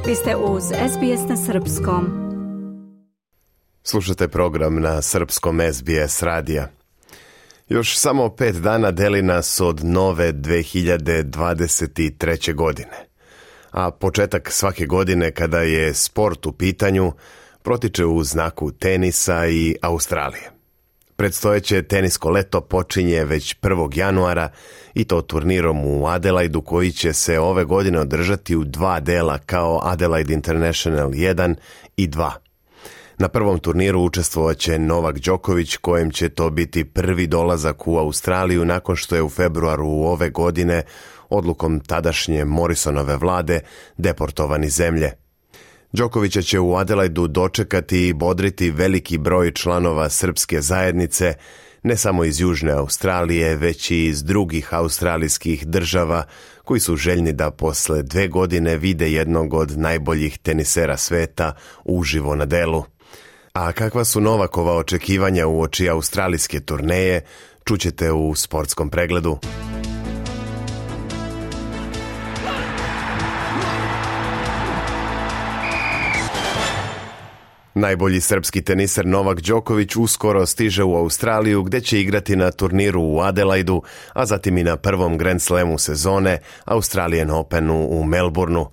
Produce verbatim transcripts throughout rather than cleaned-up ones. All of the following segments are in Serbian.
Vi ste uz S B S na srpskom. Slušate program na srpskom S B S radija. Još samo pet dana deli nas od nove dve hiljade dvadeset treće. godine. A početak svake godine kada je sport u pitanju protiče u znaku tenisa i Australije. Predstojeće tenisko leto počinje već prvog januara i to turnirom u Adelaidu koji će se ove godine održati u dva dela kao Adelaide International jedan i dva. Na prvom turniru učestvovaće Novak Đoković, kojem će to biti prvi dolazak u Australiju nakon što je u februaru ove godine odlukom tadašnje Morrisonove vlade deportovan iz zemlje. Đokovića će u Adelaidu dočekati i bodriti veliki broj članova srpske zajednice, ne samo iz Južne Australije, već i iz drugih australijskih država koji su željni da posle dve godine vide jednog od najboljih tenisera sveta uživo na delu. A kakva su Novakova očekivanja uoči australijske turneje, čućete u sportskom pregledu. Najbolji srpski teniser Novak Đoković uskoro stiže u Australiju gdje će igrati na turniru u Adelaidu, a zatim i na prvom Grand Slamu sezone Australian Openu u Melbourneu.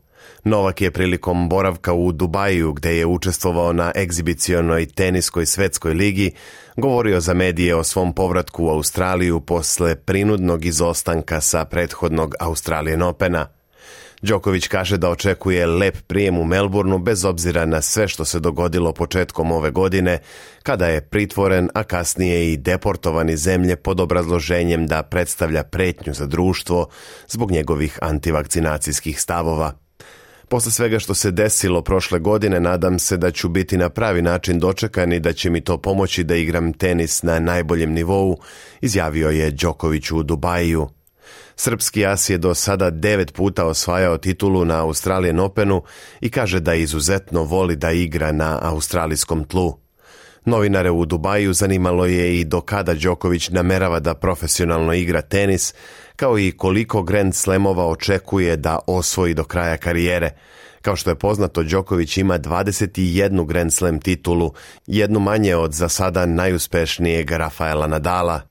Novak je prilikom boravka u Dubaju, gdje je učestvovao na egzibicionoj teniskoj svetskoj ligi, govorio za medije o svom povratku u Australiju posle prinudnog izostanka sa prethodnog Australian Opena. Đoković kaže da očekuje lep prijem u Melbourneu bez obzira na sve što se dogodilo početkom ove godine, kada je pritvoren, a kasnije i deportovan iz zemlje pod obrazloženjem da predstavlja pretnju za društvo zbog njegovih antivakcinacijskih stavova. Posle svega što se desilo prošle godine, nadam se da ću biti na pravi način dočekan i da će mi to pomoći da igram tenis na najboljem nivou, izjavio je Đoković u Dubaju. Srpski as je do sada devet puta osvajao titulu na Australian Openu i kaže da izuzetno voli da igra na australijskom tlu. Novinare u Dubaju zanimalo je i do kada Đoković namerava da profesionalno igra tenis, kao i koliko Grand Slamova očekuje da osvoji do kraja karijere. Kao što je poznato, Đoković ima dvadeset jednu Grand Slam titulu, jednu manje od za sada najuspešnijeg Rafaela Nadala.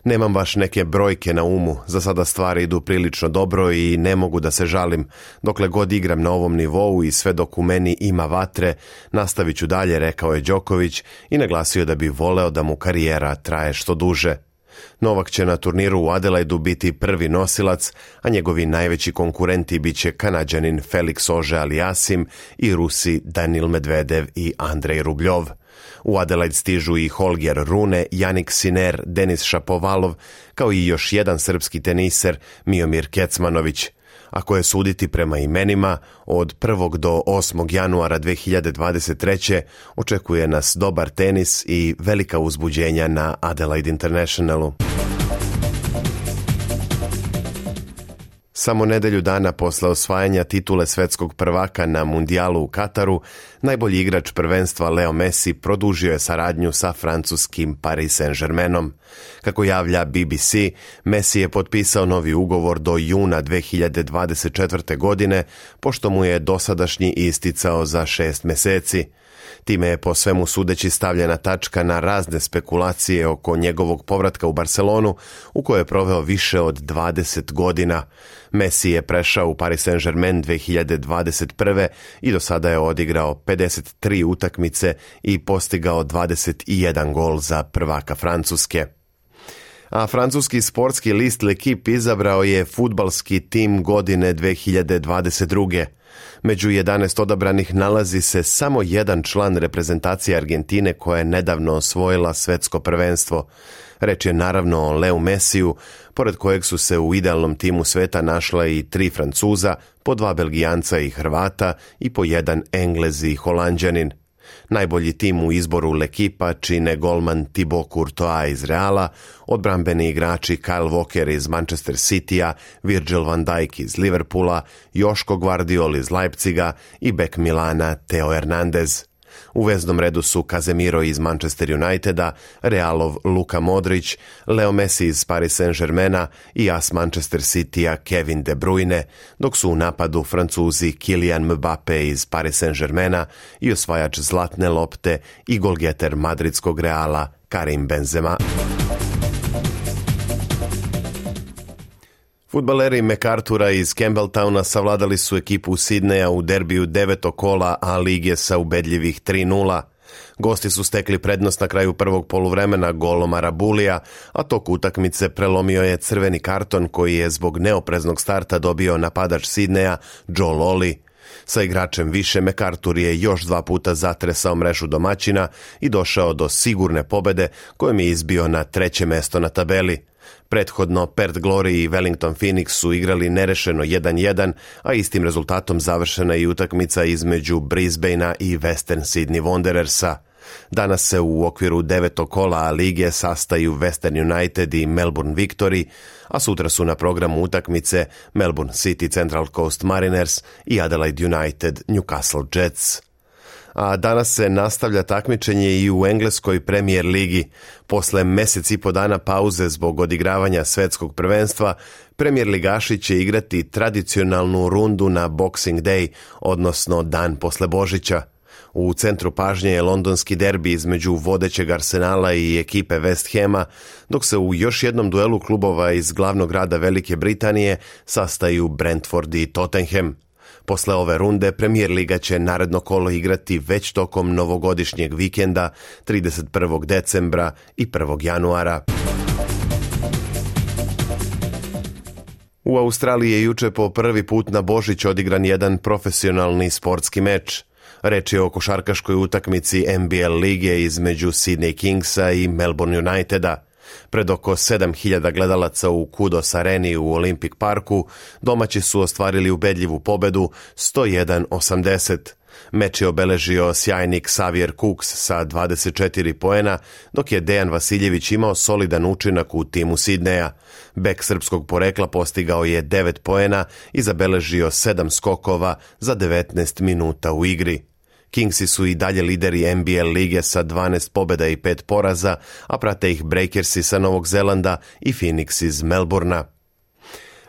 Nemam baš neke brojke na umu, za sada stvari idu prilično dobro i ne mogu da se žalim. Dokle god igram na ovom nivou i sve dok u meni ima vatre, nastavit ću dalje, rekao je Đoković i naglasio da bi voleo da mu karijera traje što duže. Novak će na turniru u Adelaidu biti prvi nosilac, a njegovi najveći konkurenti bit će Kanađanin Felix Auger-Aliassime i Rusi Danil Medvedev i Andrej Rubljov. U Adelaide stižu i Holger Rune, Jannik Sinner, Denis Šapovalov, kao i još jedan srpski teniser, Miomir Kecmanović. Ako je suditi prema imenima, od prvog do osmog januara dve hiljade dvadeset treće. očekuje nas dobar tenis i velika uzbuđenja na Adelaide Internationalu. Samo nedelju dana posle osvajanja titule svetskog prvaka na mundijalu u Kataru, najbolji igrač prvenstva Leo Messi produžio je saradnju sa francuskim Paris Saint-Germainom. Kako javlja B B C, Messi je potpisao novi ugovor do juna dve hiljade dvadeset četvrte. godine, pošto mu je dosadašnji isticao za šest meseci. Time je po svemu sudeći stavljena tačka na razne spekulacije oko njegovog povratka u Barcelonu, u kojoj je proveo više od dvadeset godina. Messi je prešao u Paris Saint-Germain dve hiljade dvadeset prve. i do sada je odigrao pedeset tri utakmice i postigao dvadeset jedan gol za prvaka Francuske. A francuski sportski list L'Equipe izabrao je fudbalski tim godine dve hiljade dvadeset druge. Među jedanaest odabranih nalazi se samo jedan član reprezentacije Argentine koja je nedavno osvojila svetsko prvenstvo. Reč je naravno o Leu Messiju, pored kojeg su se u idealnom timu sveta našla i tri Francuza, po dva Belgijanca i Hrvata i po jedan Englez i Holanđanin. Najbolji tim u izboru L'Equipa čine golman Thibaut Courtois iz Reala, odbrambeni igrači Kyle Walker iz Manchester Citya, Virgil van Dijk iz Liverpoola, Joško Gvardiol iz Leipziga i bek Milana Theo Hernandez. U veznom redu su Casemiro iz Manchester Uniteda, Realov Luka Modrić, Leo Messi iz Paris Saint-Germaina i as Manchester Citya Kevin De Bruyne, dok su u napadu Francuzi Kylian Mbappe iz Paris Saint-Germaina i osvajač zlatne lopte i golgeter madridskog Reala Karim Benzema. Fudbaleri MacArthura iz Campbelltowna savladali su ekipu Sidneja u derbiju devetog kola A lige sa ubedljivih tri nula. Gosti su stekli prednost na kraju prvog poluvremena golom Arabulija, a tok utakmice prelomio je crveni karton koji je zbog neopreznog starta dobio napadač Sidneja Joe Lolly. Sa igračem više MacArthur je još dva puta zatresao mrežu domaćina i došao do sigurne pobede kojom je izbio na treće mesto na tabeli. Prethodno Perth Glory i Wellington Phoenix su igrali nerešeno jedan jedan, a istim rezultatom završena i utakmica između Brisbanea i Western Sydney Wanderersa. Danas se u okviru devetog kola A lige sastaju Western United i Melbourne Victory, a sutra su na programu utakmice Melbourne City Central Coast Mariners i Adelaide United Newcastle Jets. A danas se nastavlja takmičenje i u engleskoj Premier ligi. Posle mesec i po dana pauze zbog odigravanja svetskog prvenstva, Premier ligaši će igrati tradicionalnu rundu na Boxing Day, odnosno dan posle Božića. U centru pažnje je londonski derbi između vodećeg Arsenala i ekipe West Hama, dok se u još jednom duelu klubova iz glavnog grada Velike Britanije sastaju Brentford i Tottenham. Posle ove runde Premier liga će naredno kolo igrati već tokom novogodišnjeg vikenda trideset prvog decembra i prvog januara. U Australiji je juče po prvi put na Božić odigran jedan profesionalni sportski meč. Reč je o košarkaškoj utakmici N B L lige između Sydney Kingsa i Melbourne Uniteda. Pred oko sedam hiljada gledalaca u Kudos areni u Olympic parku domaći su ostvarili ubedljivu pobedu sto jedan osamdeset. Meč je obeležio sjajni Xavier Cooks sa dvadeset četiri poena, dok je Dejan Vasiljević imao solidan učinak u timu Sidneja. Bek srpskog porekla postigao je devet poena i zabeležio sedam skokova za devetnaest minuta u igri. Kingsi su i dalje lideri N B L lige sa dvanaest pobjeda i pet poraza, a prate ih Breakersi sa Novog Zelanda i Phoenix iz Melbournea.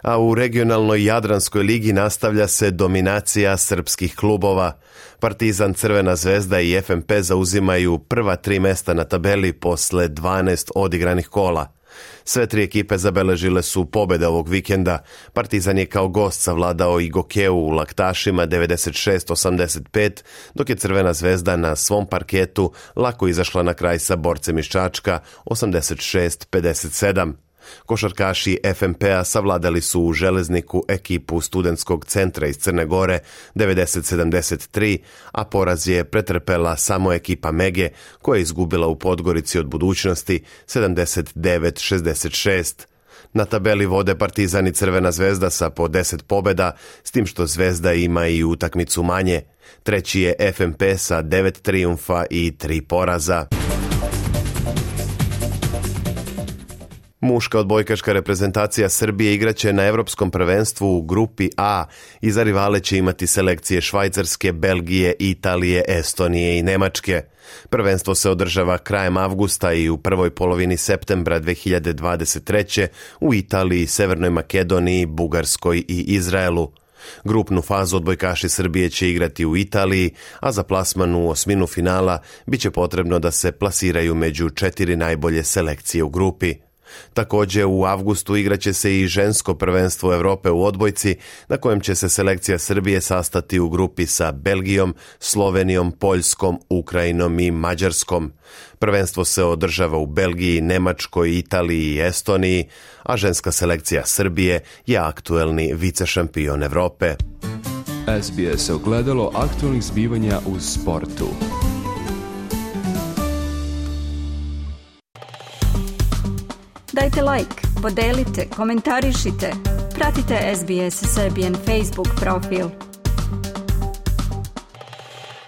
A u regionalnoj Jadranskoj ligi nastavlja se dominacija srpskih klubova. Partizan, Crvena zvezda i F M P zauzimaju prva tri mesta na tabeli posle dvanaest odigranih kola. Sve tri ekipe zabeležile su pobjede ovog vikenda. Partizan je kao gost savladao i Gokeu u Laktašima devedeset šest osamdeset pet, dok je Crvena zvezda na svom parketu lako izašla na kraj sa Borcem iz Čačka osamdeset šest pedeset sedam. Košarkaši F M P-a savladali su u Železniku ekipu Studentskog centra iz Crne Gore devedeset sedamdeset tri, a poraz je pretrpela samo ekipa Mege koja je izgubila u Podgorici od Budućnosti sedamdeset devet šezdeset šest. Na tabeli vode Partizan i Crvena zvezda sa po deset pobjeda, s tim što Zvezda ima i utakmicu manje. Treći je F M P sa devet trijumfa i tri poraza. Muška odbojkaška reprezentacija Srbije igraće na Evropskom prvenstvu u grupi A i za rivale će imati selekcije Švajcarske, Belgije, Italije, Estonije i Nemačke. Prvenstvo se održava krajem avgusta i u prvoj polovini septembra dve hiljade dvadeset treće u Italiji, Severnoj Makedoniji, Bugarskoj i Izraelu. Grupnu fazu odbojkaši Srbije će igrati u Italiji, a za plasman u osminu finala biće potrebno da se plasiraju među četiri najbolje selekcije u grupi. Također u avgustu igraće se i žensko prvenstvo Europe u odbojci, na kojem će se selekcija Srbije sastati u grupi sa Belgijom, Slovenijom, Poljskom, Ukrajinom i Mađarskom. Prvenstvo se održava u Belgiji, Nemačkoj, Italiji i Estoniji, a ženska selekcija Srbije je aktuelni vicešampion Europe. S B S ogledalo aktualnih zbivanja u sportu. Dajte like, podelite, komentarišite, pratite S B S Serbian Facebook profil.